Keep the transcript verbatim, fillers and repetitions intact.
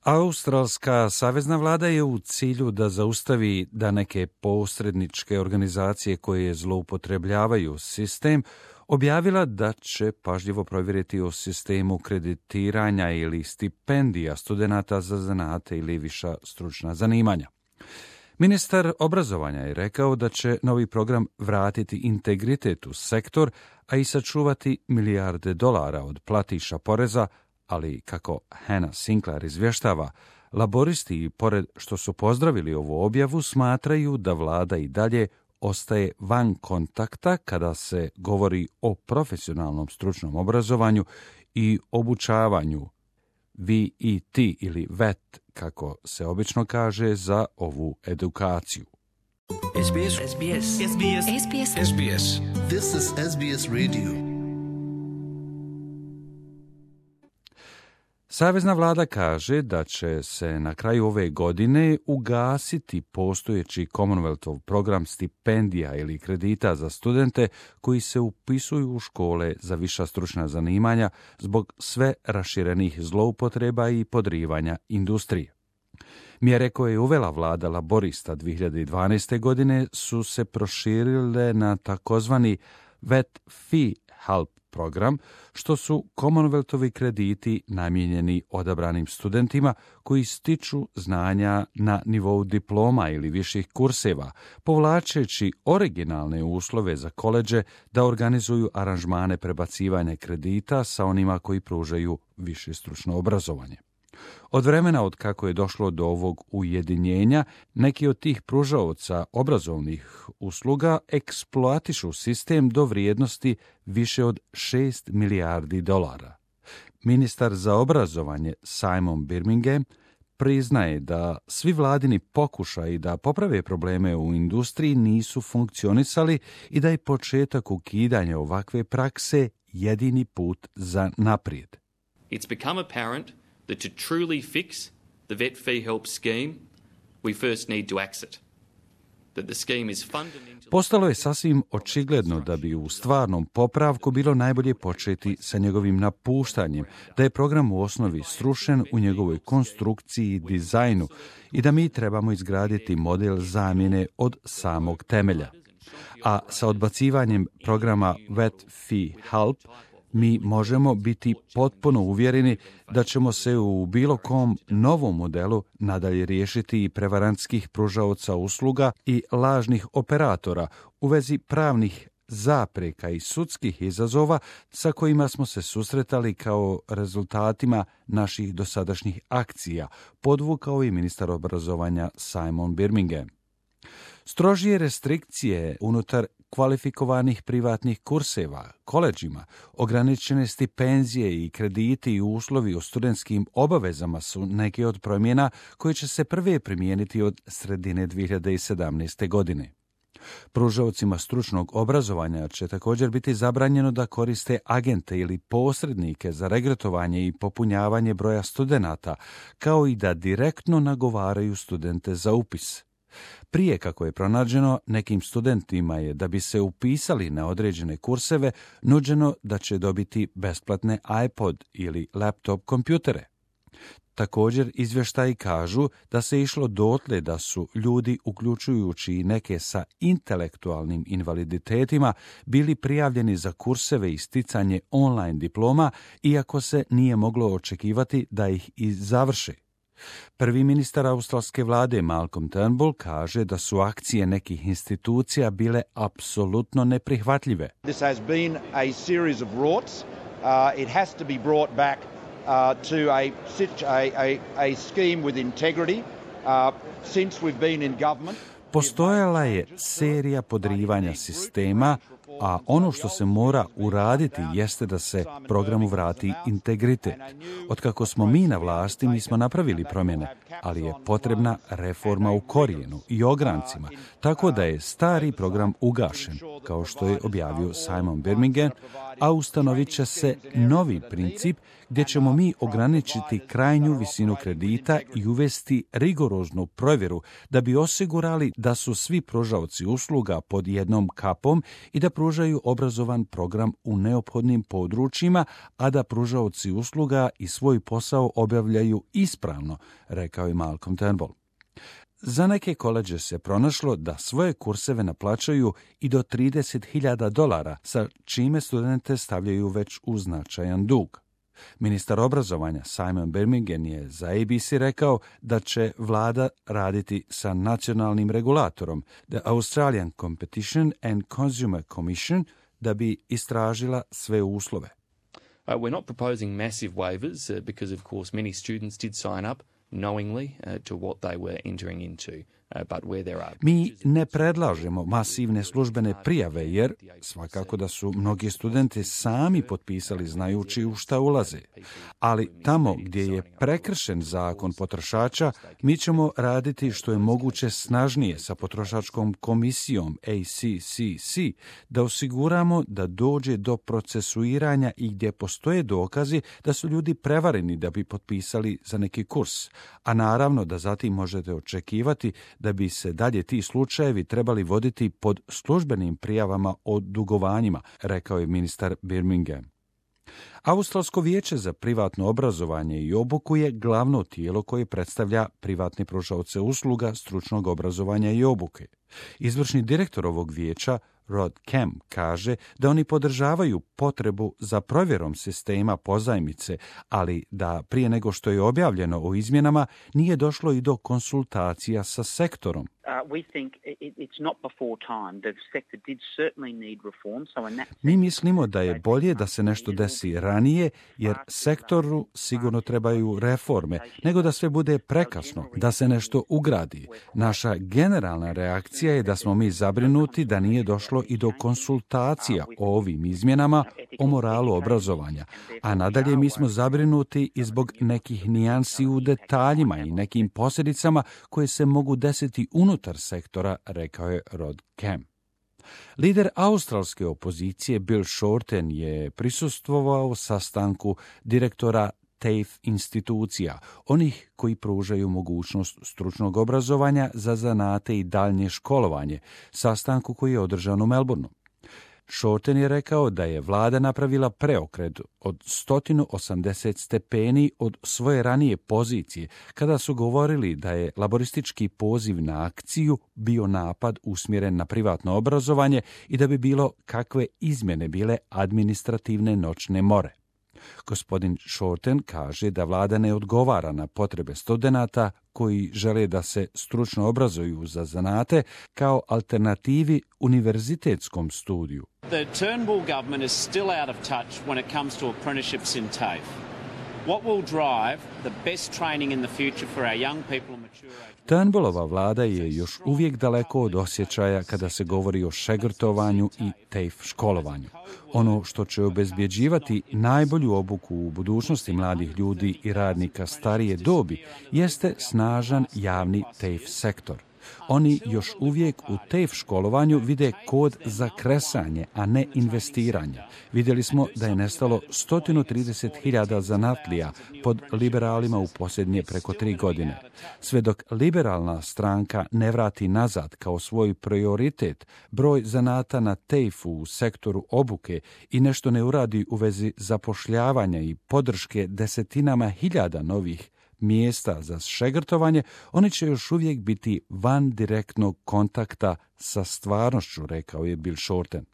Australska savezna vlada je u cilju da zaustavi da neke posredničke organizacije koje zloupotrebljavaju sistem objavila da će pažljivo provjeriti o sistemu kreditiranja ili stipendija studenata za zanate ili viša stručna zanimanja. Ministar obrazovanja je rekao da će novi program vratiti integritet u sektor, a i sačuvati milijarde dolara od platiša poreza, ali kako Hannah Sinclair izvještava, laboristi, pored što su pozdravili ovu objavu, smatraju da vlada i dalje ostaje van kontakta kada se govori o profesionalnom stručnom obrazovanju i obučavanju V E T ili V E T, kako se obično kaže za ovu edukaciju. S B S. S B S. S B S. S B S. S B S. This is S B S Radio. Savezna vlada kaže da će se na kraju ove godine ugasiti postojeći Commonwealthov program stipendija ili kredita za studente koji se upisuju u škole za viša stručna zanimanja zbog sve raširenih zloupotreba i podrivanja industrije. Mjere koje je uvela vlada laborista dvije hiljade dvanaeste. godine su se proširile na takozvani V E T Fee Help program, što su Commonwealthovi krediti namijenjeni odabranim studentima koji stiču znanja na nivou diploma ili viših kurseva, povlačeći originalne uslove za koledže da organizuju aranžmane prebacivanja kredita sa onima koji pružaju više stručno obrazovanje. Od vremena od kako je došlo do ovog ujedinjenja, neki od tih pružaoca obrazovnih usluga eksploatišu sistem do vrijednosti više od šest milijardi dolara. Ministar za obrazovanje Simon Birmingham priznaje da svi vladini pokušaji da poprave probleme u industriji nisu funkcionisali i da je početak ukidanja ovakve prakse jedini put za naprijed. It's become apparent that to truly fix the V E T Fee Help scheme, we first need to axe it. That the scheme is fundamentally... Postalo je sasvim očigledno da bi u stvarnom popravku bilo najbolje početi sa njegovim napuštanjem, da je program u osnovi srušen u njegovoj konstrukciji i dizajnu i da mi trebamo izgraditi model zamjene od samog temelja. A sa odbacivanjem programa V E T Fee Help mi možemo biti potpuno uvjereni da ćemo se u bilo kom novom modelu nadalje riješiti i prevarantskih pružaoca usluga i lažnih operatora u vezi pravnih zapreka i sudskih izazova sa kojima smo se susretali kao rezultatima naših dosadašnjih akcija, podvukao i ministar obrazovanja Simon Birmingham. Strožije restrikcije unutar kvalifikovanih privatnih kurseva, koledžima, ograničene stipendije i krediti i uslovi o studentskim obavezama su neke od promjena koje će se prve primijeniti od sredine dvije hiljade sedamnaeste. godine. Pružaocima stručnog obrazovanja će također biti zabranjeno da koriste agente ili posrednike za regrutovanje i popunjavanje broja studenata, kao i da direktno nagovaraju studente za upis. Prije, kako je pronađeno, nekim studentima je da bi se upisali na određene kurseve nuđeno da će dobiti besplatne iPod ili laptop kompjutere. Također, izvještaji kažu da se išlo dotle da su ljudi, uključujući i neke sa intelektualnim invaliditetima, bili prijavljeni za kurseve i sticanje online diploma, iako se nije moglo očekivati da ih i završe. Prvi ministar australske vlade Malcolm Turnbull kaže da su akcije nekih institucija bile apsolutno neprihvatljive. This has been a series of rorts. Uh, it has to be brought back uh, to a, a, a, a scheme with integrity. Uh, since we've been in government, postojala je serija podrivanja sistema, a ono što se mora uraditi jeste da se programu vrati integritet. Otkako smo mi na vlasti, mi smo napravili promjene, ali je potrebna reforma u korijenu i ograncima, tako da je stari program ugašen, kao što je objavio Simon Birmingham, a ustanovit će se novi princip gdje ćemo mi ograničiti krajnju visinu kredita i uvesti rigoroznu provjeru da bi osigurali da su svi pružaoci usluga pod jednom kapom i da pružaju obrazovan program u neophodnim područjima, a da pružaoci usluga i svoj posao obavljaju ispravno, rekao je Malcolm Turnbull. Za neke koledže se pronašlo da svoje kurseve naplaćaju i do trideset hiljada dolara, sa čime studente stavljaju već u značajan dug. Ministar obrazovanja Simon Birmingham je za A B C rekao da će vlada raditi sa nacionalnim regulatorom, The Australian Competition and Consumer Commission, da bi istražila sve uslove. Uh, we're not proposing massive waivers uh, because, of course, many students did sign up knowingly uh, to what they were entering into. Uh, but where there are... Mi ne predlažemo masivne službene prijave, jer svakako da su mnogi studenti sami potpisali znajući u šta ulaze. Ali tamo gdje je prekršen zakon potrošača, mi ćemo raditi što je moguće snažnije sa potrošačkom komisijom A C C C, da osiguramo da dođe do procesuiranja i gdje postoje dokazi da su ljudi prevareni da bi potpisali za neki kurs. A naravno da zatim možete očekivati da bi se dalje ti slučajevi trebali voditi pod službenim prijavama o dugovanjima, rekao je ministar Birmingham. Australsko vijeće za privatno obrazovanje i obuku je glavno tijelo koje predstavlja privatne pružaoce usluga stručnog obrazovanja i obuke. Izvršni direktor ovog vijeća, Rod Kemp, kaže da oni podržavaju potrebu za provjerom sistema pozajmice, ali da prije nego što je objavljeno o izmjenama nije došlo i do konsultacija sa sektorom. Mi mislimo da je bolje da se nešto desi ranije, jer sektoru sigurno trebaju reforme, nego da sve bude prekasno, da se nešto ugradi. Naša generalna reakcija je da smo mi zabrinuti da nije došlo i do konsultacija o ovim izmjenama o moralu obrazovanja, a nadalje mi smo zabrinuti i zbog nekih nijansi u detaljima i nekim posljedicama koje se mogu desiti unutar sektora, rekao je Rod Kemp. Lider australske opozicije Bill Shorten je prisustvovao sastanku direktora T A F E institucija, onih koji pružaju mogućnost stručnog obrazovanja za zanate i daljnje školovanje, sastanku koji je održan u Melbourneu. Shorten je rekao da je vlada napravila preokret od sto osamdeset stepeni od svoje ranije pozicije, kada su govorili da je laboristički poziv na akciju bio napad usmjeren na privatno obrazovanje i da bi bilo kakve izmjene bile administrativne noćne more. Gospodin Shorten kaže da vlada ne odgovara na potrebe studenata koji žele da se stručno obrazuju za zanate kao alternativi univerzitetskom studiju. The Turnbull government is still out of touch when it comes to apprenticeships in T A F E. What will drive the best training in the future for our young people and mature age? Turnbullova vlada je još uvijek daleko od osjećaja kada se govori o šegrtovanju i T A F E školovanju. Ono što će obezbjeđivati najbolju obuku u budućnosti mladih ljudi i radnika starije dobi jeste snažan javni T A F E sektor. Oni još uvijek u T A F E školovanju vide kod za kresanje, a ne investiranje. Vidjeli smo da je nestalo sto trideset hiljada zanatlija pod liberalima u posljednje preko tri godine. Sve dok liberalna stranka ne vrati nazad kao svoj prioritet broj zanata na T A F E u sektoru obuke i nešto ne uradi u vezi zapošljavanja i podrške desetinama hiljada novih mjesta za šegrtovanje, oni će još uvijek biti van direktnog kontakta sa stvarnošću, rekao je Bill Shorten.